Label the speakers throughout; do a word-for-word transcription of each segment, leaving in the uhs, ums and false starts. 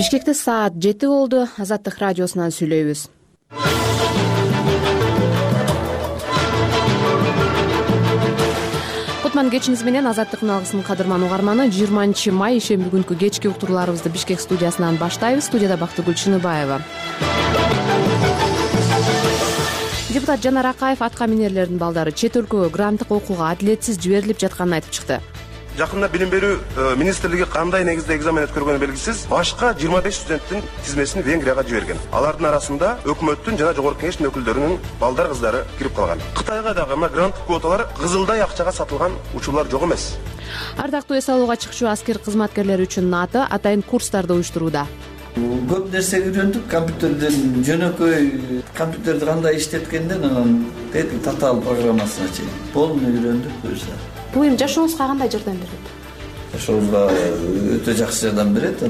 Speaker 1: Бишкекте саат жети болду. Азаттык радиосунан сүйлөйбүз. Кутман кечиңиз менен Азаттыктын алгысын кадырман угарманы. жыйырманчы май ишемби күнкү кечки уктурууларыбызды Бишкек студиясынан баштайбыз. Студияда Бактыгүл Чыныбаева. Депутат Жанар Акаев атка минерлердин балдары чет өлкөгө гранттык окууга адилетсиз жиберилип жатканын айтып чыкты.
Speaker 2: Жакында билим берүү министрлиги кандай негизде экзамен өткөргөнү белгисиз, башка жыйырма беш студенттин тизмесин Венгрияга жиберген. Алардын арасында өкмөттүн жана жогорку кеңештин өкүлдөрүнүн балдар кыздары кирип калган. Кытайга дагы мына грант квоталар кызылдай акчага сатылган учурлар жок эмес.
Speaker 1: Ардактуу эс алууга чыкчу аскер кызматкерлери үчүн НАТО атайын курстарды уюштурууда.
Speaker 3: Көп нерсе үйрөндүк, компьютерден жөнөкөй компьютерди кандай иштеткенден анан татаал программасына чейин полный үйрөндүк буюрса.
Speaker 1: Бул эми жашооңузга кандай жардам берет?
Speaker 3: Жашообузга өтө жакшы жардам берет.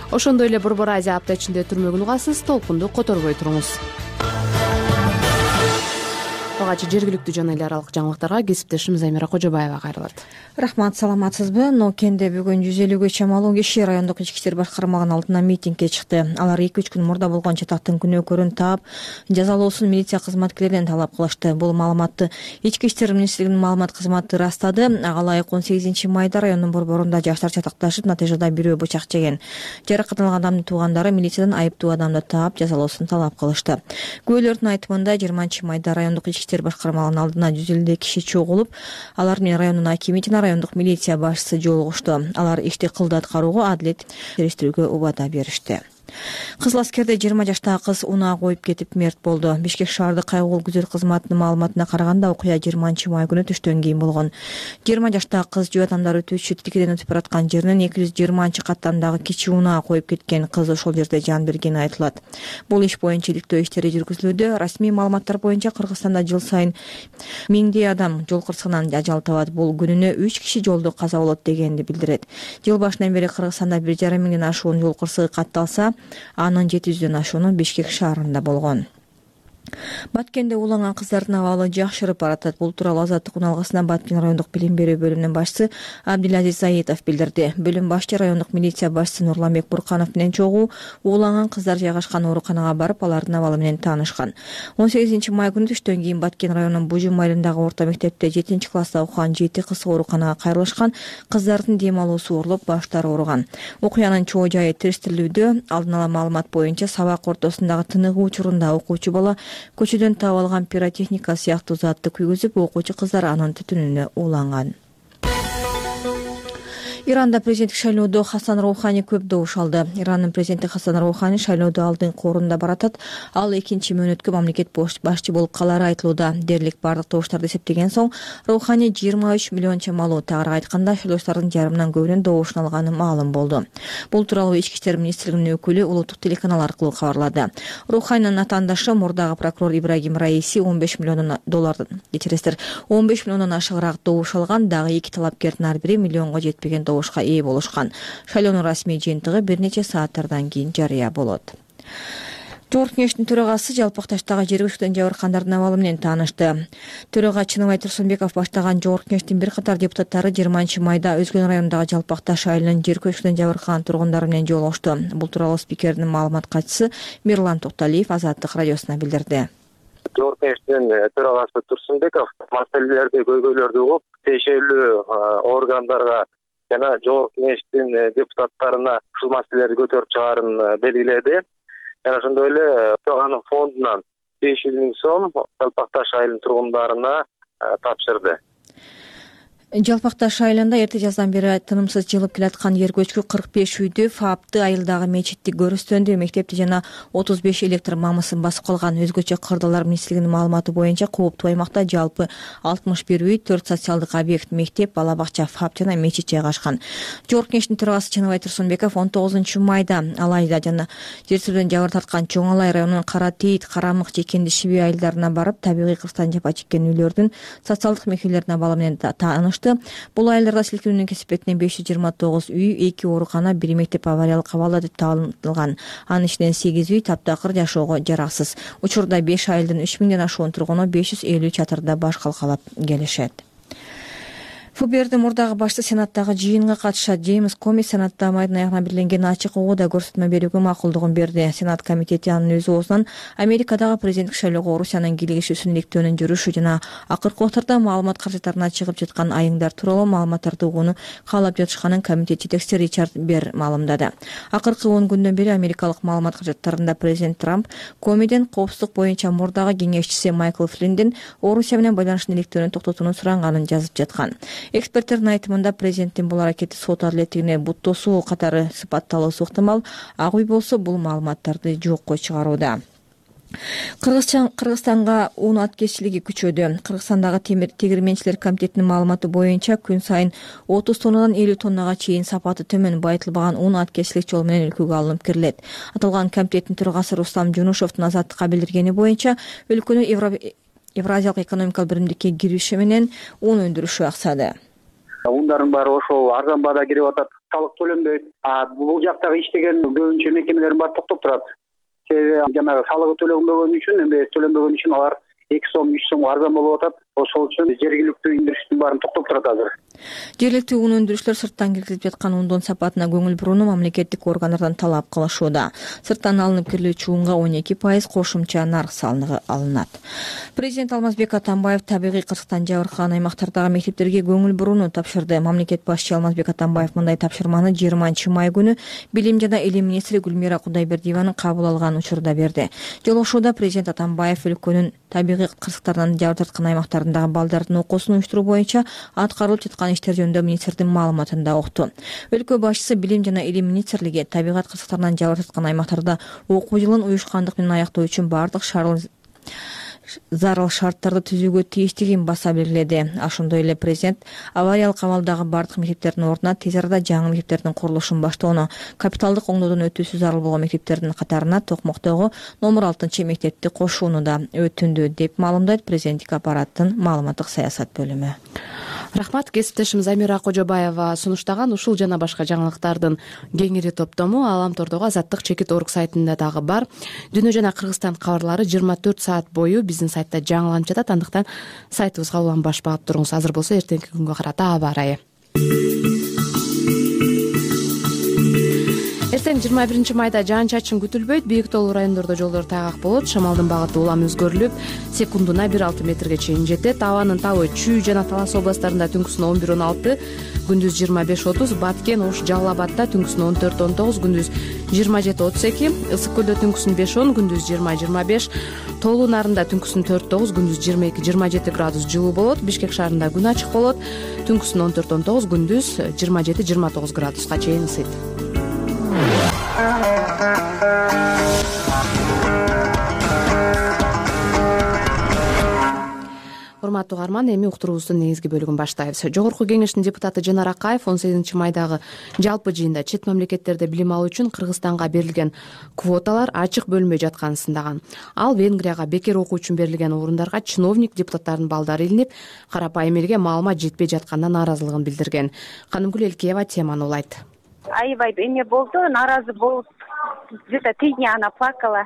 Speaker 1: Ошондой эле Борбор Азия апта ичинде өтүрмөгүн угасыз, толкунду которбой туруңуз. Ага жергиликтүү жана эл аралык жаңылыктарга кесиптешим Замира Кожобаева кайрылат.
Speaker 4: Рахмат, саламатсызбы? Нокенде бүгүн жүз элүүгө чамалуу киши райондук ички иштер башкармалыгынын алдына митингге чыкты. Алар эки үч күн мурда болгон чатактын күнөөкөрүн таап, жазалоосун милиция кызматкерлеринен талап кылышты. Бул маалыматты Ички иштер министрлигинин маалымат кызматы ырастады. Ага ылайык он сегизинчи майда райондун борборунда жаштар чатакташып, натыйжада бирөө бычак жеген. Жаракат алган адамдын туугандары милициядан айыптуу адамды таап, жазалоосун талап кылышты. Күбөлөрдүн айтымында жыйырманчы майда райондук ички иштер башкармалыгынын алдына жүз элүү киши чогулуп, алар менен райондун акими жана райондук милиция башчысы жолугушту. Алар ишти кылды аткарууга адилет териштирүүгө убада беришти. Кызыл аскерде жыйырма жаштагы кыз унаа коюп кетип мерт болду. Бишкек шаардык кайгылуу күзөт кызматынын маалыматына караганда окуя жыйырманчы май күнү түштөн кийин болгон. жыйырма жаштагы кыз жөө адамдар өтүүчү тилкеден өтүп бараткан жеринен эки жүз жыйырманчы каттамдагы кичи унаа коюп кеткен. Кыз ошол жерде жан бергени айтылат. Бул иш боюнча иликтөө иштери жүргүзүлүүдө. Расмий маалыматтар боюнча Кыргызстанда жыл сайын миңдей адам жол кырсыгынан ажал табат. Бул күнүнө үч киши жолдо каза болот дегенди билдирет. Жыл башынан бери Кыргызстанда бир жарым миңден ашуун жол кырсыгы катталса, анын жети жүздөн ашууну Бишкек шаарында болгон. Баткенде уланган кыздардын абалы жакшырып баратат. Бул тууралуу Азаттык алгысына Баткен райондук билим берүү бөлүмүнүн башчысы Абдилазиз Заитов билдирди. Бөлүм башчы райондук милиция башчысы Нурламбек Бурканов менен чогуу уланган кыздар жайгашкан ооруканага барып, алардын абалы менен таанышкан. он сегизинчи май күнү түштөн кийин Баткен районунун Бужум айылындагы орто мектепте жетинчи класста окуган жети кыз ооруканага кайрылышкан. Кыздардын дем алуусу ооруп, баштары ооруган. Окуянын чоо жайы териштирилүүдө. Алдын ала маалымат боюнча сабак ортосундагы тыныгуу учурунда окуучу бала көчөдөн таап алган пиротехника сыяктуу затты күйгүзүп, окуучу кыздар анын түтүнүнө уланган. Иранда президенттик шайлоодо Хасан Роухани көп добуш алды. Ирандын президенти Хасан Роухани шайлоодо алдыңкы орунда баратат. Ал экинчи мөөнөткө мамлекет башчы болуп калары айтылууда. Дерлик бардык добуштарды эсептеген соң Роухани жыйырма үч миллион чамалуу, тагыраак айтканда шайлоочулардын жарымынан көбүнүн добушун алганы маалым болду. Бул тууралуу Ички иштер министрлигинин өкүлү улуттук телеканал аркылуу кабарлады. Роуханинин атаандашы мурдагы прокурор Ибрагим Раиси он беш миллион доллардан, кечиресиздер, он беш миллиондон ашыгыраак добуш алган. Дагы эки талапкердин ар бири миллионго жетпеген добушка ээ болушкан. Шайлоонун расмий жыйынтыгы бир нече сааттардан кийин жарыя болот. Жогорку кеңештин төрагасы Жалпакташтагы жер көчкүдөн жабыркандардын абалы менен таанышты. Төрага Чыныбай Турсунбеков баштаган Жогорку кеңештин бир катар депутаттары жыйырманчы майда Өзгөн районундагы Жалпакташ айылынын жер көчкүдөн жабыркаган тургундары менен жолугушту. Бул тууралуу спикердин маалымат катчысы Мирлан Токталиев Азаттык радиосуна билдирди.
Speaker 5: Жогорку кеңештин төрагасы Турсунбеков маселелерди, көйгөйлөрдү угуп, тиешелүү органдарга жана Жогорку кеңештин депутаттарына ушул маселелерди көтөрүп чыгаарын белгиледи. Жана ошондой эле тоганын фондунан беш жүз миң сом Жалпакташ айылынын тургундарына тапшырды.
Speaker 4: Жалпакташ айылында эрте жаздан бери тынымсыз жылып келаткан жер көчкү кырк беш үйдү, Фаапты айылдагы мечитти көрүстөндү, мектепти жана отуз беш электр мамысын басып калган. Өзгөчө кырдалар министрлигинин маалыматы боюнча кооптуу аймакта жалпы алтымыш бир үй, төрт социалдык объект, мектеп, бала бакча, Фаап жана мечит жайгашкан. Жогорку кеңештин төрагасы Чыныбай Турсунбеков он тогузунчу майда Алайда жана жер сүрүүдөн жабыр тарткан Чоң Алай районунун Кара Тейит, Карамык, Жекенди, Шиби айылдарына барып, табигый кырсыктан жапа чеккен үйлөрдүн социалдык мекемелеринин абалы менен тааныш. Бул айылдарда силкинүүнүн кесипетинен беш жүз жыйырма тогуз үй, эки оорукана, бир мектеп авариялык абалда деп таанылган. Анын ичинен сегиз үй таптакыр жашоого жараксыз. Учурда беш айылдын үч миңден ашуун тургуну беш жүз элүү чатырда баш калкалап келишет. ФБРдин мурдагы башчысы сенаттагы жыйынга катышат. Джеймс Коми сенатта майдын аягына белгиленген ачык оодо көрсөтмө берүүгө макулдугун берди. Сенат комитети анын өз оозунан Америкадагы президенттик шайлоого Орусиянын кийлигишүүсүн иликтөөнүн жүрүшү жана акыркы убактарда маалымат каражаттарына чыгып жаткан айыңдар тууралуу маалыматтарды угууну каалап жатышканын комитет жетекчиси Ричард Бер маалымдады. Акыркы он күндөн бери америкалык маалымат каражаттарында президент Трамп Комиден коопсуздук боюнча мурдагы кеңешчиси Майкл Флиндин Орусия менен байланыштын иликтөөнүн токтотууну суранганын жазып жаткан. Эксперттердин айтымында президенттин бул аракети сот адилеттигине буттоосу катары сыпатталуусу ыктымал. Ак үй болсо бул маалыматтарды жокко чыгарууда. Кыргызстанга un аткеччилиги күчөдү. Кыргызстандагы темир тегирменчилер комитетинин маалыматы боюнча күн сайын отуз тоннадан элүү тоннага чейин сапаты төмөн байытылбаган un аткеччилик жол менен өлкөгө алынып кирилет. Аталган комитеттин төрагасы Рустам Жунушевдун азаттыкка билдиргени боюнча өлкөнү Евразиялык экономикалык биримдикке кириши менен un өндүрүшү аксады.
Speaker 6: Ундардын баары ошол арзан баада кирип атат, салык төлөнбөйт. А бул жактагы иштеген көбүнчө мекемелердин баары токтоп турат. Себеби жанагы салыгы төлөнбөгөн үчүн, эми төлөнбөгөн үчүн алар эки сом, үч сом арзан болуп атат. Ошол үчүн жергиликтүү өндүрүштүн баарын токтоп турат азыр.
Speaker 4: Жергиликтүү un өндүрүүчүлөр сырттан киргизип жаткан ундун сапатына көңүл бурууну мамлекеттик органдардан талап кылышууда. Сырттан алынып кирилүүчү унга он эки пайыз кошумча нарк салыгы алынат. Президент Алмазбек Атамбаев табигый кырсыктан жабыркаган аймактардагы мектептерге көңүл бурууну тапшырды. Мамлекет башчысы Алмазбек Атамбаев мындай тапшырманы жыйырманчы май күнү Билим жана Илим министри Гүлмира Кудайбердиеванын кабыл алган учурда берди. Жолугушууда президент Атамбаев өлкөнүн табигый кырсыктардан жабыр тарткан аймактарындагы балдардын окуусун уюштуруу боюнча аткарылып жаткан иштер жөнүндө министрдин маалыматында укту. Өлкө башчысы Билим жана Илим министрлиги табигат кырсыктарынан жабыр тарткан аймактарда окуу жылын уюшкандык менен аяктоо үчүн бардык зарыл шарттарды түзүүгө тийиштигин баса белгиледи. Ошондой эле президент авариялык абалдагы бардык мектептердин ордуна тез арада жаңы мектептердин курулушун баштоону, капиталдык оңдоодон өтүүсү зарыл болгон мектептердин катарына Токмоктогу номер алтынчы мектепти кошууну да өтүндү деп маалымдайт президенттик аппараттын маалыматтык саясат бөлүмү.
Speaker 1: Рахмат. Кесиптешим Замира Кожобаева сунуштаган ушул жана башка жаңылыктардын кеңири топтому Аламтордогу Азаттык чекит орг сайтында дагы бар. Дүйнө жана Кыргызстан кабарлары жыйырма төрт саат бою биздин сайтта жаңыланып жатат. Андыктан сайтыбызга уланбаш багып туруңуз. Азыр болсо эртеңки күнгө карата аба ырайы. Эртең жыйырма биринчи майда жаан-чачын күтүлбөйт. Бийик тоолуу райондордо жолдор тайгак болот. Шамалдын багыты улам өзгөрүлүп, секундуна бир алты метрге чейин жетет. Абанын табы Чүй жана Талас областтарында түнкүсүнө он бир он алты, күндүз жыйырма беш отуз, Баткен, Ош, Жалал Абадда түнкүсүнө он төрт он тогуз, күндүз жыйырма жети отуз эки, Ысык көлдө түнкүсүн беш он, күндүз жыйырма жыйырма беш, Тоолуу Нарында түнкүсүн төрт тогуз, күндүз жыйырма эки жыйырма жети градус жылуу болот. Бишкек шаарында күн ачык болот. Түнкүсүн он төрт он тогуз, күндүз жыйырма жети жыйырма тогуз градуска чейин ысыйт. Урматтуу угарман, эми уктуруубуздун негизги бөлүгүн баштайбыз. Жогорку кеңештин депутаты Жанар Акаев он сегизинчи майдагы жалпы жыйында чет мамлекеттерде билим алуу үчүн Кыргызстанга берилген квоталар ачык бөлүнбөй жатканын сындаган. Ал Венгрияга бекер окуу үчүн берилген орундарга чиновник депутаттардын балдары илинип, карапайым элге маалымат жетпей жатканына нааразылыгын билдирген. Канымгүл Элкеева теманы улайт.
Speaker 7: Аябай эме болду, нааразы болуп, где-то три дня она плакала.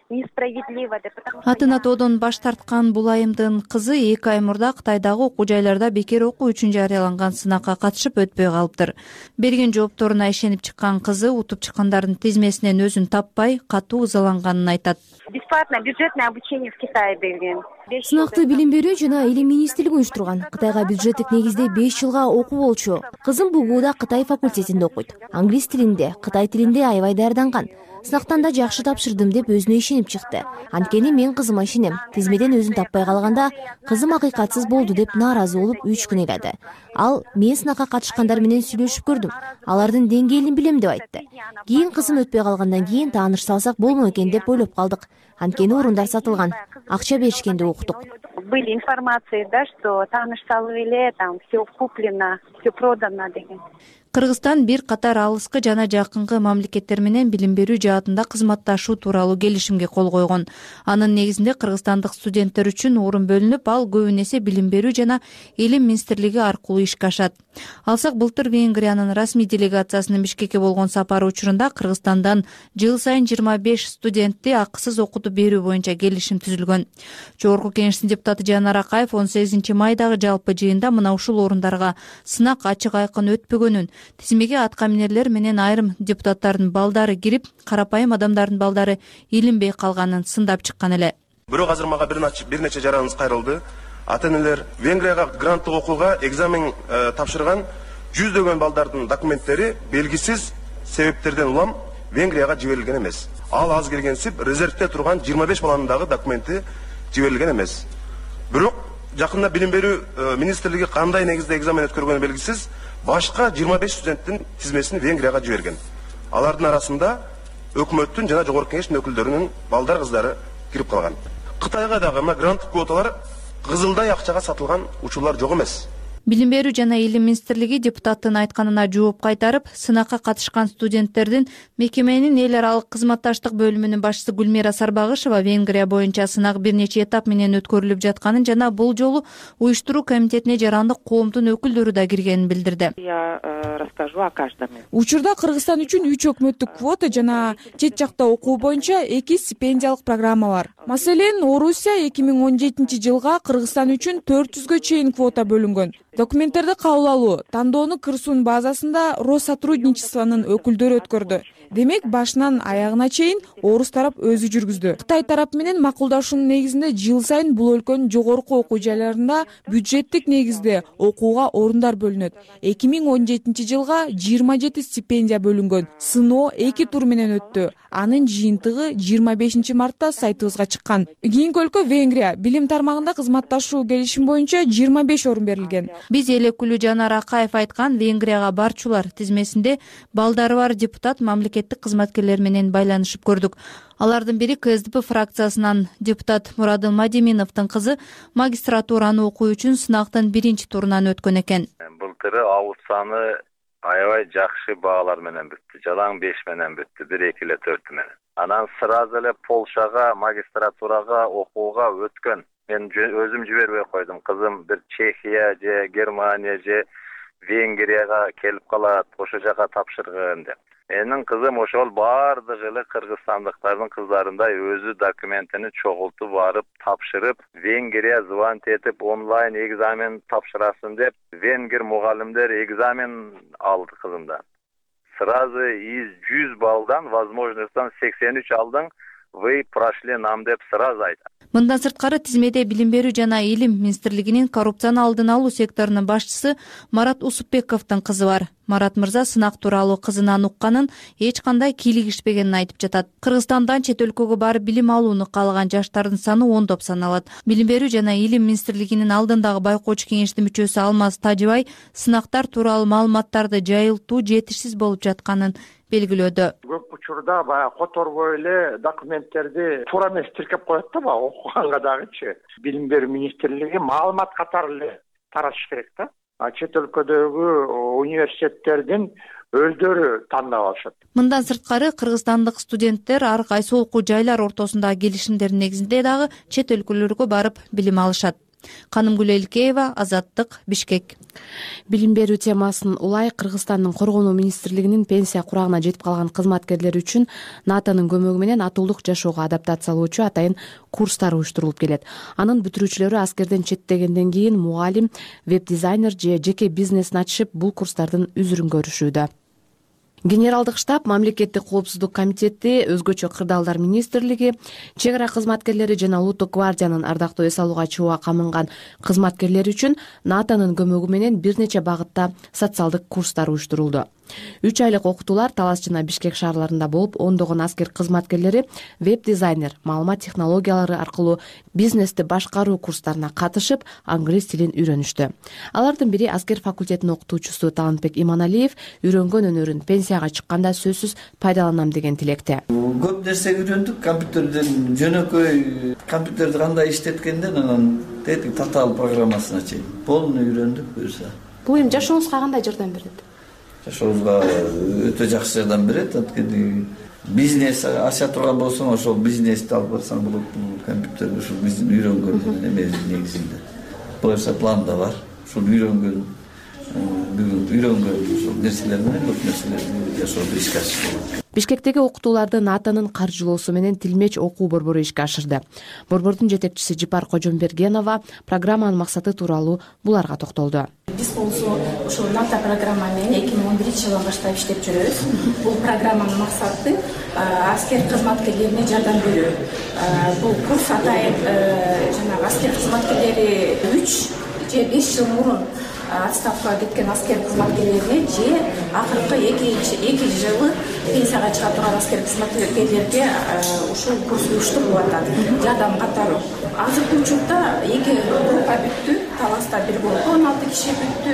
Speaker 7: Несправедливо деп.
Speaker 8: Атын атоодон баш тарткан бул айымдын кызы эки ай мурда Кытайдагы окуу жайларда бекер окуу үчүн жарыяланган сынакка катышып өтпөй калыптыр. Берген жоопторуна ишенип чыккан кызы утуп чыккандардын тизмесинен өзүн таппай, катуу ызаланганын айтат.
Speaker 7: Бесплатное бюджетное обучение в Китае берген.
Speaker 9: Сынакты билим берүү жана Илим министрлиги уюштурган. Кытайга бюджеттик негизде беш жылга окуу болчу. Кызым БУГУда Кытай факультетинде окуйт. Англис тилинде, Кытай тилинде аябай даярданган. Сынактан да жакшы тапшырдым деп өзүнө ишенип чыкты. Анткени мен кызыма ишенем. Тизмеден өзүн таппай калганда кызым акыйкатсыз болду деп нааразы болуп үч күн ыйлады. Ал мен сынакка катышкандар менен сүйлөшүп көрдүм. Алардын деңгээлин билем деп айтты. Кийин кызым өтпөй калгандан кийин тааныш салсак болмок экен деп ойлоп калдык. Анткени орундар сатылган. Акча беришкен деп уктук.
Speaker 7: Были информации, да, что тааныш салып эле, там все куплено, все продано деген.
Speaker 8: Кыргызстан бир катар алыскы жана жакынкы мамлекеттер менен билим берүү жаатында кызматташуу тууралуу келишимге кол койгон. Анын негизинде кыргызстандык студенттер үчүн орун бөлүнүп, ал көбүн эсе билим берүү жана Илим министрлиги аркылуу ишке ашат. Алсак, былтыр Венгриянын расмий делегациясынын Бишкекке болгон сапары учурунда Кыргызстандан жыл сайын жыйырма беш студентти акысыз окутуп берүү боюнча келишим түзүлгөн. Жогорку Кеңештин депутаты Жанар Акаев он сегизинчи майдагы жалпы жыйында мына ушул орундарга сынак ачык айкын өтпөгөнүн, тизмеге аткаминерлер менен айрым депутаттардын балдары кирип, карапайым адамдардын балдары илинбей калганын сындап чыккан эле.
Speaker 2: Бирок азыр мага бир нече жараныбыз кайрылды. Ата-энелер Венгрияга гранттык окууга экзамен тапшырган жүздөгөн балдардын документтери белгисиз себептерден улам Венгрияга жиберилген эмес. Ал аз келгенсип резервде турган жыйырма беш баланын дагы документи жиберилген эмес. Бирок жакында билим берүү министрлиги кандай негизде экзамен өткөргөнү белгисиз башка жыйырма беш студенттин тизмесин Венгрияга жиберген. Алардын арасында өкмөттүн жана жогорку кеңештин өкүлдөрүнүн балдар кыздары кирип калган. Кытайга дагы мына гранттык квоталар кызылдай акчага сатылган учурлар жок эмес.
Speaker 8: Билим берүү жана илим министрлиги депутаттын айтканына жооп кайтарып, сынакка катышкан студенттердин мекеменин эл аралык кызматташтык бөлүмүнүн башчысы Гүлмира Сарбагышева Венгрия боюнча сынак бир нече этап менен өткөрүлүп жатканын жана бул жолу уюштуруу комитетине жарандык коомдун өкүлдөрү да киргенин билдирди.
Speaker 10: Я расскажу о каждом.
Speaker 11: Учурда Кыргызстан үчүн үч өкмөттүк квота жана чет жакта окуу боюнча эки стипендиялык программа бар. Маселен, Орусия эки миң он жетинчи жылга Кыргызстан үчүн төрт жүзгө чейин квота бөлүнгөн. Документтерди кабыл алуу, тандоону кырсуунун базасында Россотрудничествонун өкүлдөрү өткөрдү. Демек, башынан аягына чейин орус тарап өзү жүргүздү. Кытай тарап менен макулдашуунун негизинде жыл сайын бул өлкөнүн жогорку окуу жайларында бюджеттик негизде окууга орундар бөлүнөт. эки миң он жетинчи жылга жыйырма жети стипендия бөлүнгөн. Сыноо эки тур менен өттү. Анын жыйынтыгы жыйырма бешинчи мартта сайтыбызга чыккан. Кийинки өлкө Венгрия. Билим тармагында кызматташуу келишим боюнча жыйырма беш орун берилген.
Speaker 8: Биз эл өкүлү Жанар Акаев айткан Венгрияга барчулар тизмесинде балдары бар депутат мамлекеттик кызматкерлер менен байланышып көрдүк. Алардын бири КСДП фракциясынан депутат Мурадыл Мадиминовдун кызы магистратураны окуу үчүн сынактын биринчи турунан өткөн экен.
Speaker 12: Былтыры ауыз саны аябай жакшы баалар менен бүттү. Жалаң беш менен бүттү, бир эки эле төрт менен. Анан сразу эле Полшага магистратурага окууга өткөн. Мен өзүм жибербей койдум. Кызым бир Чехия же Германия же Венгрияга келип калат, ошо жака тапшыргын деп. Менин кызым ошол баардык эле кыргызстандыктардын кыздарындай өзү документини чогултуп барып тапшырып, Венгрия звонить этип онлайн экзамен тапшырасын деп, венгер мугалимдер экзамен алды кызымдан. Сразу из жүз балдан возможностьтан сексен үч алдың, вы прошли нам деп сразу айтат.
Speaker 8: Мындан сырткары тизмеде билим берүү жана илим министрлигинин коррупцияны алдын алуу секторунун башчысы Марат Усупбековдун кызы бар. Марат мырза сынак тууралуу кызынан укканын эч кандай кийлигишпегенин айтып жатат. Кыргызстандан чет өлкөгө барып билим алууну каалаган жаштардын саны ондоп саналат. Билим берүү жана илим министрлигинин алдындагы байкоочу кеңештин мүчөсү Алмаз Тажыбай сынактар тууралуу маалыматтарды жайылтуу жетишсиз болуп жатканын белгилөөдө.
Speaker 13: Көп учурда баягы которбой эле документтерди туура эмес тиркеп коет да, баягы окуганга дагычы. Билим берүү министрлиги маалымат катары эле таратыш керек да. А чет өлкөдөгү университеттердин өздөрү тандап алышат.
Speaker 8: Мындан сырткары кыргызстандык студенттер ар кайсы окуу жайлар ортосундагы келишимдердин негизинде дагы чет өлкөлөргө барып билим алышат. Канымгүл Элкеева, Азаттык, Бишкек.
Speaker 1: Билим берүү темасын улай Кыргызстандын коргонуу министрлигинин пенсия курагына жетип калган кызматкерлер үчүн НАТОнун көмөгү менен атуулук жашоого адаптациялоочу атайын курстар уюштурулуп келет. Анын бүтүрүүчүлөрү аскерден четтегенден кийин мугалим, веб-дизайнер же жеке бизнесин ачышып, бул курстардын үзүрүн көрүшүүдө. Генералдык штаб, мамлекеттик коопсуздук комитети, өзгөчө кырдаалдар министрлиги, чек ара кызматкерлери жана улуттук гвардиянын ардактуу эс алууга чыгууга камынган кызматкерлери үчүн НАТОнун көмөгү менен бир нече багытта социалдык курстар уюштурулду. үч айлык окутуулар Талас жана Бишкек шаарларында болуп, ондогон аскер кызматкерлери веб-дизайнер, маалымат технологиялары аркылуу бизнести башкаруу курстарына катышып, англис тилин үйрөнүштү. Алардын бири аскер факультетинин окутуучусу Талантбек Иманалиев үйрөнгөн өнөрүн пенсияга чыкканда сөзсүз пайдаланам деген тилекте.
Speaker 3: Көп нерсе үйрөндүк, компьютерден жөнөкөй компьютерди кандай иштеткенден анан тетик татаал программасына чейин полный үйрөндүк буюрса.
Speaker 1: Бул эми жашооңузга кандай жардам берет?
Speaker 3: Жашообузга өтө жакшы жардам берет. Анткени бизнес аша турган болсоң, ошол бизнести алып барсаң болот. Бул компьютер ушул биздин үйрөнгөн эме негизинде. Буюрса планда бар. Ушул үйрөнгөн бүгүн үйрөнгөн ушул нерселер менен көп нерселерди жашоодо ишке ашыш болот.
Speaker 1: Бишкектеги окутууларды НАТОнун каржылоосу менен Тилмеч окуу борбору ишке ашырды. Борбордун жетекчиси Жипар Кожомбергенова программанын максаты тууралуу буларга токтолду.
Speaker 14: Биз болсо ошол НАТО программа менен эки миң он биринчи жылдан баштап иштеп жүрөбүз. Бул программанын максаты аскер кызматкерлерине жардам берүү. Бул курс атайын жанагы аскер кызматкерлери үч же беш жыл мурун отставкага кеткен аскер кызматкерлерине же акыркы эки жылы пенсияга чыга турган аскер кызматкерлерге ушул курс уюштурулуп атат. Жардам катары. Азыркы учурда эки группа бүттү. Таласта бир группа он алты киши бүттү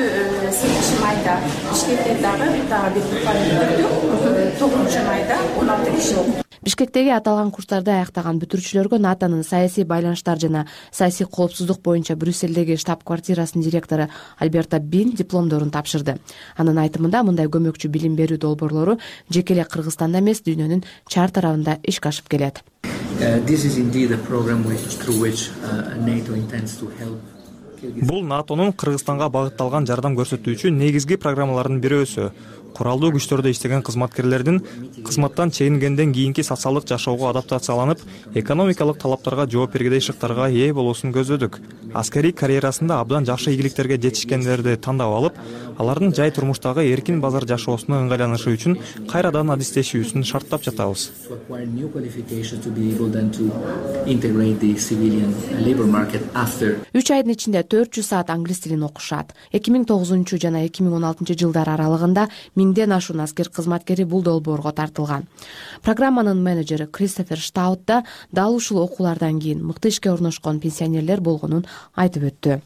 Speaker 14: сегизинчи майда. Бишкекте дагы дагы бир группа бүттү. тогузунчу майда он алты киши окуп.
Speaker 1: Бишкектеги аталган курстарды аяктаган бүтүрүүчүлөргө НАТОнун саясий байланыштар жана саясий коопсуздук боюнча Брюссельдеги штаб-квартирасынын директору Альберто Бин дипломдорун тапшырды. Анын айтымында мындай көмөкчү билим берүү долбоорлору жеке эле Кыргызстанда эмес, дүйнөнүн чар тарабында ишке ашып келет.
Speaker 15: Бул НАТОнун Кыргызстанга багытталган жардам көрсөтүүчү негизги программалардын бирөөсү. Куралдуу күчтөрдө иштеген кызматкерлердин кызматтан чегингенден кийинки социалдык жашоого адаптацияланып, экономикалык талаптарга жооп бергидей шыктарга ээ болуусун көздөдүк. Аскерий карьерасында абдан жакшы ийгиликтерге жетишкендерди тандап алып, алардын жай турмуштагы эркин базар жашоосуна ыңгайланышы үчүн кайрадан адистешүүсүн шарттап жатабыз.
Speaker 1: үч айдын ичинде төрт жүз саат англис тилин окушат. эки миң тогузунчу жана эки миң он алтынчы жылдар аралыгында миңден ашуун аскер кызматкери бул долбоорго тартылган. Программанын менеджери Кристофер Штаут да дал ушул окуулардан кийин мыкты ишке орношкон пенсионерлер болгонун айтып өттү.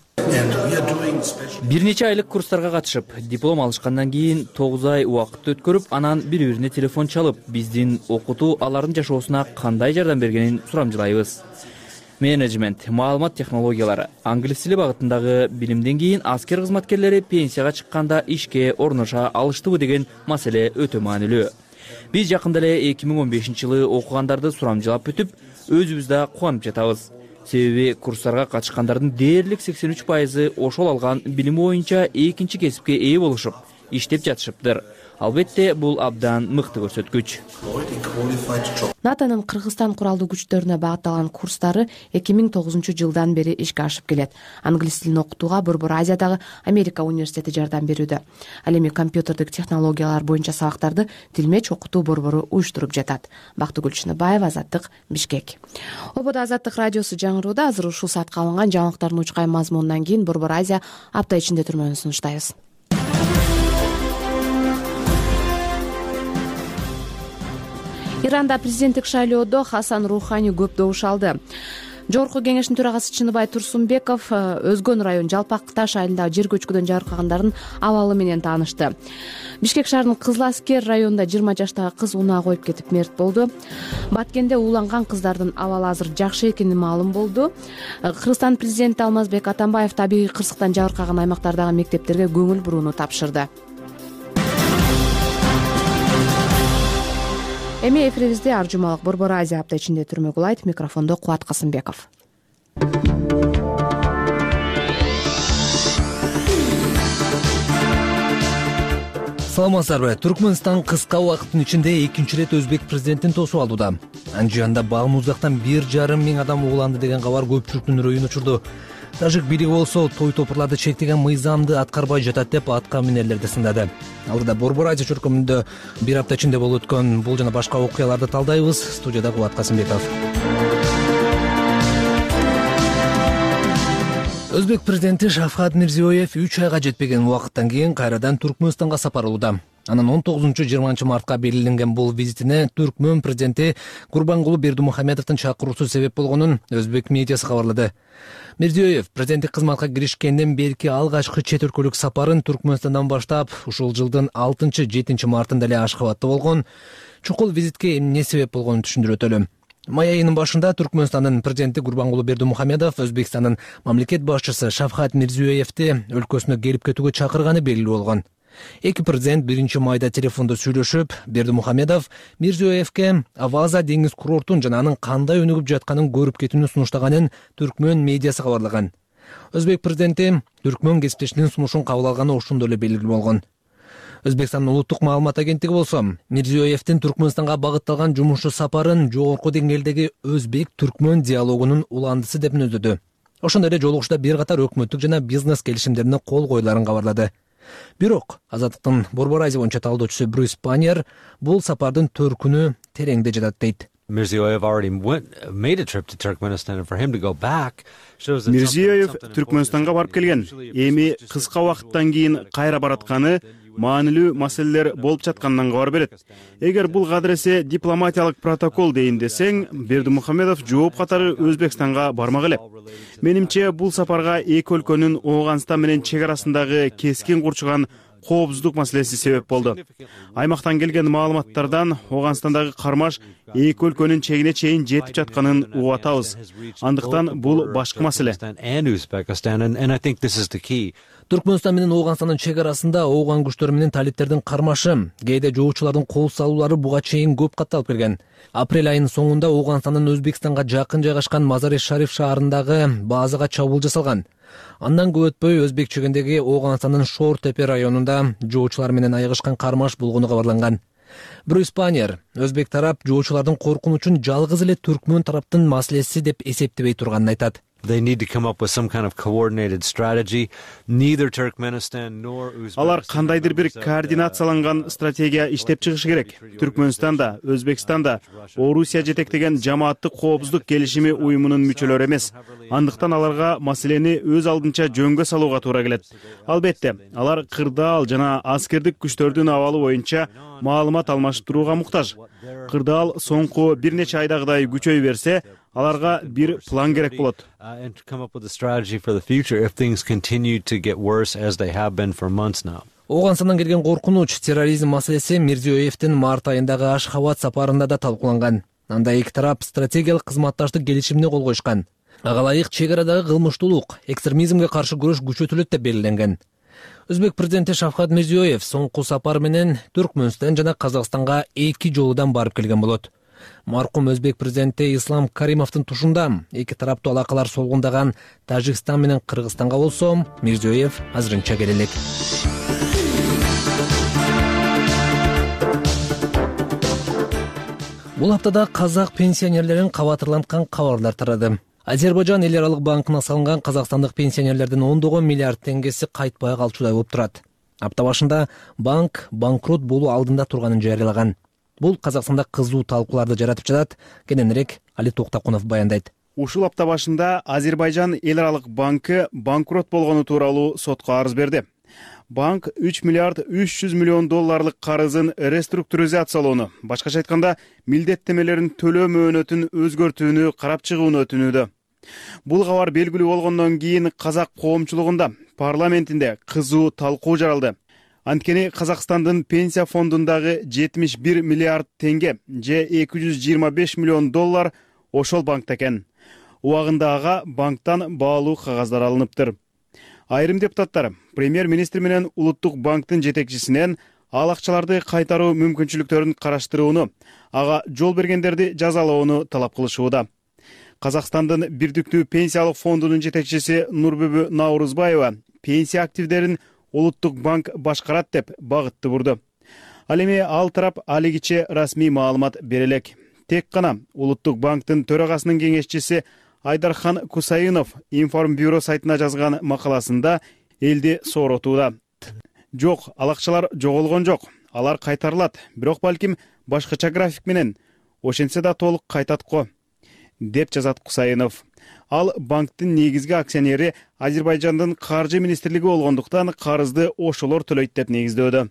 Speaker 16: Бир нече айлык курстарга катышып, диплом алышкандан кийин тогуз ай убакыт өткөрүп, анан бири-бирине телефон чалып, биздин окутуу алардын жашоосуна кандай жардам бергенин сурамжылайбыз. Менеджмент, маалымат технологиялары, англис тили багытындагы билимден кийин аскер кызматкерлери пенсияга чыкканда ишке орноша алыштыбы деген маселе өтө маанилүү. Биз жакында эле эки миң он бешинчи жылы окугандарды сурамжылап бүтүп, өзүбүз да кубанып жатабыз. Себеби курстарга катышкандардын дээрлик сексен үч пайызы ошол алган билими боюнча экинчи кесипке ээ болушуп, иштеп жатышыптыр. Албетте, бул абдан мыкты көрсөткүч.
Speaker 1: НАТОнун Кыргызстан куралдуу күчтөрүнө багытталган курстары эки миң тогузунчу жылдан бери ишке ашып келет. Англис тилин окутууга Борбор Азиядагы Америка университети жардам берүүдө. Ал эми компьютердик технологиялар боюнча сабактарды Тилмеч окутуу борбору уюштуруп жатат. Бактыгүл Чыныбаева, Азаттык, Бишкек. Ободо Азаттык радиосу жаңырууда. Азыр ушул саатка алынган жаңылыктардын учкай мазмунунан кийин Борбор Азия апта ичинде түрмөнү сунуштайбыз. Иранда президенттик шайлоодо Хасан Рухани көп добуш алды. Жогорку кеңештин төрагасы Чыныбай Турсунбеков Өзгөн район Жалпак Таш айылындагы жер көчкүдөн жарыккандардын абалы менен таанышты. Бишкек шаарынын Кызыл Аскер районунда жыйырма жаштагы кыз унаа коюп кетип мерт болду. Баткенде ууланган кыздардын абалы азыр жакшы экени маалым болду. Кыргызстан президенти Алмазбек Атамбаев табигый кырсыктан жабыркаган аймактардагы мектептерге көңүл бурууну тапшырды. Эми эфирибизде ар жумалык Борбор Азия апта ичинде түрмө кулайт. Микрофондо Кубат Касымбеков.
Speaker 17: Саламатсыздарбы? Түркмөнстан кыска убакыттын ичинде экинчи ирет өзбек президентин тосуп алууда. Анжыянда Багмуздактан бир жарым миң адам ууланды деген кабар көпчүлүктүн үрөйүн учурду. Тажик бийлиги болсо той топурларды чектеген мыйзамды аткарбай жатат деп атка минерлерди сындады. Алдыда Борбор Азия чөркөмүндө бир апта ичинде болуп өткөн бул жана башка окуяларды талдайбыз. Студияда Кубат Касымбеков. Өзбек президенти Шавкат Мирзиёев үч айга жетпеген убакыттан кийин кайрадан Түркмөнстанга сапарлууда. Анын он тогузунчу жыйырманчы мартка белгиленген бул визитине Түркмөн президенти Курбангулы Бердимухамедовдун чакыруусу себеп болгонун өзбек медиасы кабарлады. Мирзиёев президенттик кызматка киришкенден берки алгачкы чет өлкөлүк сапарын Түркмөнстандан баштап, ушул жылдын алтынчы жетинчи мартында эле Ашхабадта болгон. Чукул визитке эмне себеп болгонун түшүндүрүп өтөлү. Май айынын башында Түркмөнстандын президенти Курбангулы Бердимухамедов Өзбекстандын мамлекет башчысы Шавкат Мирзиёевди өлкөсүнө келип кетүүгө чакырганы белгилүү болгон. Эки президент биринчи майда телефондо сүйлөшүп, Бердимухамедов Мирзиёевке Аваза деңиз курортун жана анын кандай өнүгүп жатканын көрүп кетүүнү сунуштаганын Түркмөн медиасы кабарлаган. Өзбек президенти Түркмөн кесиптешинин сунушун кабыл алганы ошондо эле белгилүү болгон. Өзбекстандын улуттук маалымат агенттиги болсо Мирзиёевдин Түркмөнстанга багытталган жумуш сапарын жогорку деңгээлдеги өзбек-түркмөн диалогунун уландысы деп мүнөздөдү. Ошондой эле жолугушта бир катар өкмөттүк жана бизнес келишимдерине кол коюларын кабарлады. Бирок Азаттыктын Борбор Азия боюнча талдоочусу Брюс Паньер бул сапардын төркүнү тереңде жатат дейт.
Speaker 18: Мирзиёев
Speaker 19: Түркмөнстанга барып келген. Эми кыска убакыттан кийин кайра баратканы маанилүү маселелер болуп жатканынан кабар берет. Эгер бул кадыресе дипломатиялык протокол дейин десең, Бердимухамедов жооп катары Өзбекстанга бармак эле. Менимче бул сапарга эки өлкөнүн Ооганстан менен чек арасындагы кескин курчуган коопсуздук маселеси себеп болду. Аймактан келген маалыматтардан Ооганстандагы кармаш эки өлкөнүн чегине чейин жетип жатканын угуп атабыз. Андыктан бул башка маселе.
Speaker 17: Түркмөнстан менен Ооганстандын чек арасында ооган күчтөр менен талиптердин кармашы, кээде жоочулардын кол салуулары буга чейин көп катталып келген. Апрель айынын соңунда Ооганстандын Өзбекстанга жакын жайгашкан Мазари-Шариф шаарындагы базага чабуул жасалган. Андан көп өтпөй Өзбек чегиндеги Ооганстандын Шор-Тепе районунда жоочулар менен айыгышкан кармаш болгону кабарланган. Брюс Паньер Өзбек тарап жоочулардын коркунучун жалгыз эле түркмөн тараптын маселеси деп эсептебей турганын айтат.
Speaker 19: Алар кандайдыр бир координацияланган стратегия иштеп чыгышы керек. Түркмөнстан да, Өзбекстан да Орусия жетектеген жамааттык коопсуздук келишими уюмунун мүчөлөрү эмес. Андыктан аларга маселени өз алдынча жөнгө салууга туура келет. Албетте, алар кырдаал жана аскердик күчтөрдүн абалы боюнча маалымат алмаштырууга муктаж. Кырдаал соңку бир нече айдагыдай күчөй берсе, аларга бир план керек болот.
Speaker 17: Ооганстандан келген коркунуч, терроризм маселеси Мирзиёевдин март айындагы Ашхабад сапарында да талкууланган. Анда эки тарап стратегиялык кызматташтык келишимине кол коюшкан. Ага ылайык чек арадагы кылмыштуулук, экстремизмге каршы күрөш күчөтүлөт деп белгиленген. Өзбек президенти Шавкат Мирзиёев соңку сапар менен Түркмөнстан жана Казакстанга эки жолудан барып келген болот. Маркум Өзбек президенти Ислам Каримовдун тушунда эки тараптуу алакалар солгундаган Тажикстан менен Кыргызстанга болсо, Мирзиёев азырынча келе элек. Бул хаптада казак пенсионерлерин кабатырланткан кабарлар тарады. Азербайжан эл аралык банкына салынган казакстандык пенсионерлердин ондогон миллиард теңгеси кайтпай калчудай болуп турат. Апта башында банк банкрот болуу алдында турганын жарыялаган. Бул Казакстанда кызуу талкууларды жаратып жатат. Кененирээк Али Токтакунов баяндайт.
Speaker 19: Ушул апта башында Азербайжан эл аралык банкы банкрот болгону тууралуу сотко арыз берди. Банк үч миллиард үч жүз миллион долларлык карызын реструктуризациялоону, башкача айтканда, милдеттемелерин төлөө мөөнөтүн өзгөртүүнү карап чыгууну өтүнүүдө. Бул кабар белгилүү болгондон кийин казак коомчулугунда, парламентинде кызуу талкуу жаралды. Анткени Казакстандын пенсия фондундагы жетимиш бир миллиард теңге же эки жүз жыйырма беш миллион доллар ошол банкта экен. Убагында ага банктан баалуу кагаздар алыныптыр. Айрым депутаттар премьер-министр менен улуттук банктын жетекчисинен ал акчаларды кайтаруу мүмкүнчүлүктөрүн караштырууну, ага жол бергендерди жазалоону талап кылышууда. Казакстандын Бирдиктүү пенсиялык фондунун жетекчиси Нурбүбү Наурузбаева пенсия активдерин Улуттук банк башкарат деп багытты бурду. Ал эми ал тарап алигиче расмий маалымат бере элек. Тек гана Улуттук банктын төрагасынын кеңешчиси Айдархан Кусайынов Информбюро сайтына жазган макаласында элди сооротууда. Жок, ал акчалар жоголгон жок. Алар кайтарылат, бирок балким башкача график менен. Ошентсе да толук кайтат го, деп жазат Кусайынов. Ал банктын негизги акционери Азербайжандын каржы министрлиги болгондуктан карызды ошолор төлөйт деп негиздөөдө.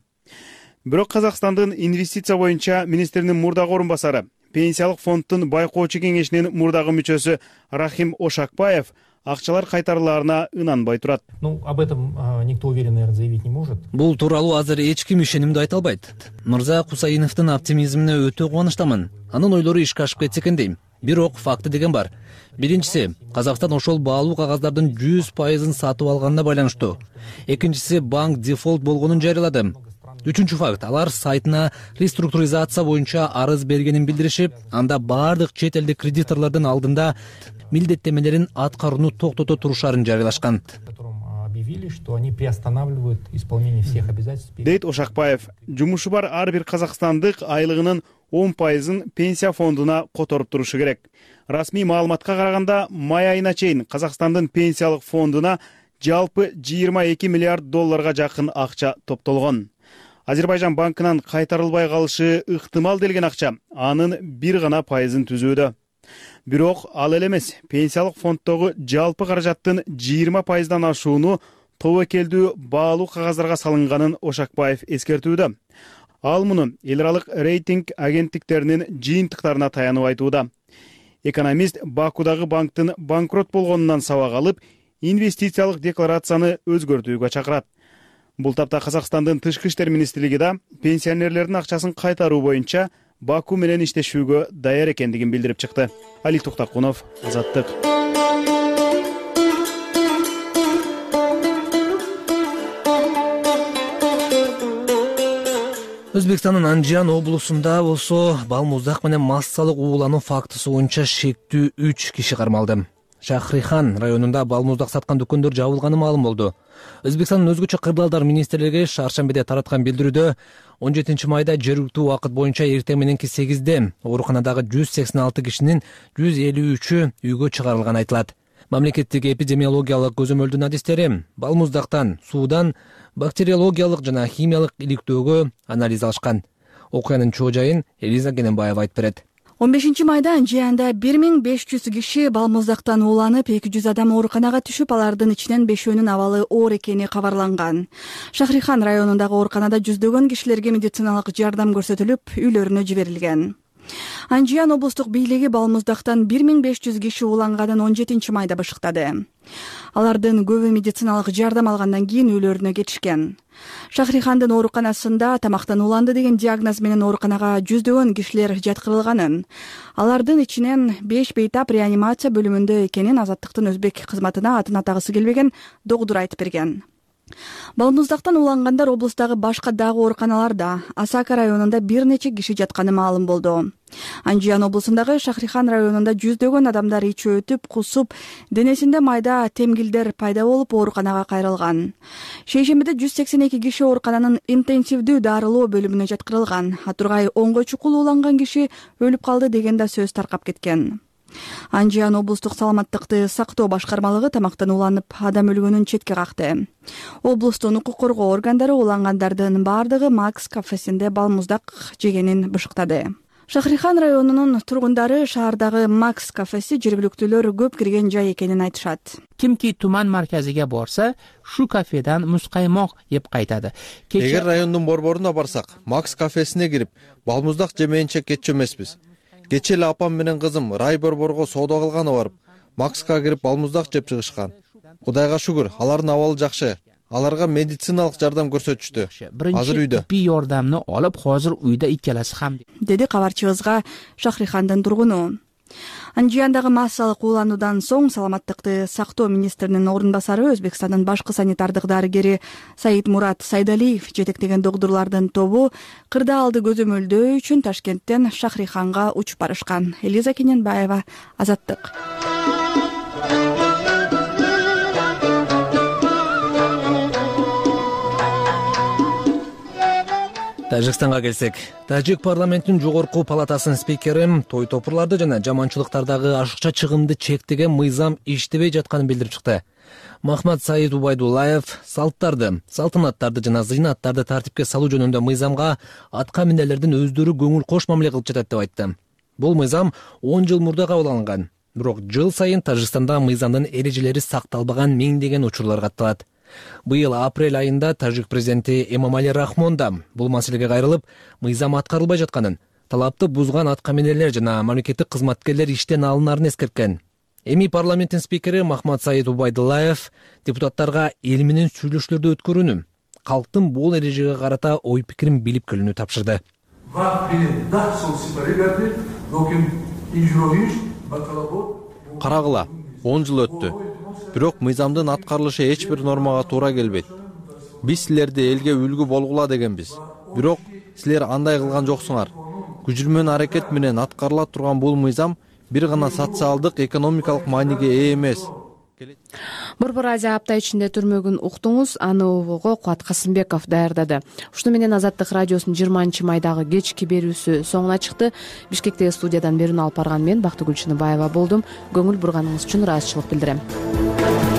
Speaker 19: Бирок Казакстандын инвестиция боюнча министринин мурдагы орун басары, пенсиялык фонддун байкоочу кеңешинин мурдагы мүчөсү Рахим Ошакбаев акчалар кайтарылаарына ынанбай турат.
Speaker 20: Ну, об этом никто уверенно, наверное, заявить не может.
Speaker 17: Бул тууралуу азыр эч ким ишенимдүү айта албайт. Мырза Кусайыновдун оптимизмине өтө кубанычтамын. Анын ойлору ишке ашып кетсе экен дейм. Бирок факты деген бар. Биринчиси, Казакстан ошол баалуу кагаздардын жүз пайызын сатып алганына байланыштуу. Экинчиси, банк дефолт болгонун жарыялады. үчүнчү факт, алар сайтына реструктуризация боюнча арыз бергенин билдиришип, анда баардык чет элдик кредиторлордун алдында милдеттемелерин аткарууну токтото турушарын жарыялашкан.
Speaker 20: Что они приостанавливают исполнение всех обязательств.
Speaker 19: Дейт Ошакбаев, жумушу бар ар бир казакстандык айлыгынын он пайызын пенсия фондуна которуп турушу керек. Расмий маалыматка караганда, май айына чейин Казакстандын пенсиялык фондуна жалпы жыйырма эки миллиард долларга жакын акча топтолгон. Азербайжан банкынан кайтарылбай калышы ыктымал делген акча анын бир гана пайызын түзүүдө. Бирок ал эле эмес, пенсиялык фонддогу жалпы каражаттын жыйырма пайыздан ашууну тобокелдүү баалуу кагаздарга салынганын Ошакбаев эскертүүдө. Ал муну эл аралык рейтинг агенттиктеринин жыйынтыктарына таянып айтууда. Экономист Бакудагы банктын банкрот болгонунан сабак алып, инвестициялык декларацияны өзгөртүүгө чакырат. Бул тапта Казакстандын тышкы иштер министрлиги да пенсионерлердин акчасын кайтаруу боюнча Баку менен иштешүүгө даяр экендигин билдирип чыкты. Али Туктакунов, Азаттык.
Speaker 17: Өзбекстандын Анжиан облусунда болсо балмуздак менен массалык уулануу фактысы боюнча шектүү үч киши кармалды. Шахрихан районунда балмуздак саткан дүкөндөр жабылганы маалым болду. Өзбекстандын өзгөчө кырдаалдар министрлиги шаршембиде тараткан билдирүүдө он жетинчи майда жергиликтүү убакыт боюнча эртең мененки сегизде ооруканадагы жүз сексен алты кишинин жүз элүү үчү үйгө чыгарылганы айтылат. Мамлекеттик эпидемиологиялык көзөмөлдүн адистери балмуздактан, суудан бактериологиялык жана химиялык иликтөөгө анализ алышкан. Окуянын чоо жайын Элиза Гененбаева айтып берет.
Speaker 18: он бешинчи майда Анжиянда бир миң беш жүз киши балмуздактан ууланып, эки жүз адам ооруканага түшүп, алардын ичинен бешөөнүн абалы оор экени кабарланган. Шахрихан районундагы ооруканада жүздөгөн кишилерге медициналык жардам көрсөтүлүп, үйлөрүнө жиберилген. Анжиян облустук бийлиги балмуздактан бир миң беш жүз киши ууланганын он жетинчи майда башыктады. Алардын көбү медициналык жардам алгандан кийин үйлөрүнө кетишкен. Шахрихандын ооруканасында тамактан ууланды деген диагноз менен ооруканага жүздөгөн кишилер жаткырылганын, алардын ичинен беш бейтап реанимация бөлүмүндө экенин Азаттыктын өзбек кызматына атын атагысы келбеген докдур айтып берген. Балмуздактан уулангандар облустагы башка дагы ооруканаларда, Асака районунда бир нече киши жатканы маалым болду. Анжиян облусундагы Шахрихан районунда жүздөгөн адамдар ичи өтүп, кусуп, денесинде майда темгилдер пайда болуп ооруканага кайрылган. Шейшембиде жүз сексен эки киши оорукананын интенсивдүү дарылоо бөлүмүнө жаткырылган. Атургай онго чукул ууланган киши өлүп калды деген да сөз таркап кеткен. Анжиян облустук саламаттыкты сактоо башкармалыгы тамактан ууланып адам өлгөнүн четке какты. Облустун укук коргоо органдары уулангандардын баардыгы Макс кафесинде балмуздак жегенин бышыктады. Шахрихан районунун тургундары шаардагы Макс кафеси жергиликтүүлөр көп кирген жай экенин айтышат.
Speaker 21: Кимки туман марказиге борса, шу кафедан мускаймок жеп кайтады.
Speaker 22: Эгер райондун борборуна барсак, Макс кафесине кирип, балмуздак жемейинче кетчү эмеспиз. Кече эле апам менен кызым рай борборго соода кылганы барып, Макска кирип балмуздак жеп чыгышкан. Кудайга шүгүр, алардын абалы жакшы. Аларга медициналык жардам көрсөтүштү. Азыр үйдө.
Speaker 21: Тиббий жардамды алып, азыр үйдө иккелеси ham,
Speaker 18: деди кабарчыбызга Шахрихандын тургуну. Анжияндагы массалык уулануудан соң саламаттыкты сактоо министринин орун басары Өзбекстандын башкы санитардык дарыгери Саид Мурат Сайдалиев жетектеген докторлордун тобу кырдаалды көзөмөлдөө үчүн Ташкенттен Шахриханга учуп барышкан. Элиза Гененбаева, Азаттык.
Speaker 17: Тажикстанга келсек, Тажик парламентинин жогорку палатасынын спикери той топурларды жана жаманчылыктардагы ашыкча чыгымды чектеген мыйзам иштебей жатканын билдирип чыкты. Махмад Саид Убайдуллаев салттарды, салтанаттарды жана зыйнаттарды тартипке салуу жөнүндө мыйзамга атка минерлердин өздөрү көңүл кош мамиле кылып жатат деп айтты. Бул мыйзам он жыл мурда кабыл алынган. Бирок жыл сайын Тажикстанда мыйзамдын эрежелери сакталбаган миңдеген учурлар катталат. Быйыл апрель айында Тажик президенти Эмомали Рахмон да бул маселеге кайрылып, мыйзам аткарылбай жатканын, талапты бузган атка минерлер жана мамлекеттик кызматкерлер иштен алынарын эскерткен. Эми парламенттин спикери Махмад Саид Убайдуллаев депутаттарга эл менен сүйлөшүүлөрдү өткөрүүнү, калктын бул эрежеге карата ой пикирин билип келүүнү тапшырды.
Speaker 22: Карагыла, он жыл өттү. Бирок мыйзамдын аткарылышы эч бир нормага туура келбейт. Биз силерди элге үлгү болгула дегенбиз. бирок силер андай кылган жоксуңар. Күжүрмөн аракет менен аткарыла турган бул мыйзам бир гана социалдык экономикалык мааниге ээ эмес.
Speaker 1: Борбор Азия апта ичинде түрмөгүн уктуңуз. Аны угууга Кубат Касымбеков даярдады. Ушуну менен Азаттык радиосунун жыйырманчы майдагы кечки берүүсү соңуна чыкты. Бишкектеги студиядан берүүнү алып барган мен Бактыгүл Чыныбаева болдум. Көңүл бурганыңыз үчүн ыраазычылык билдирем.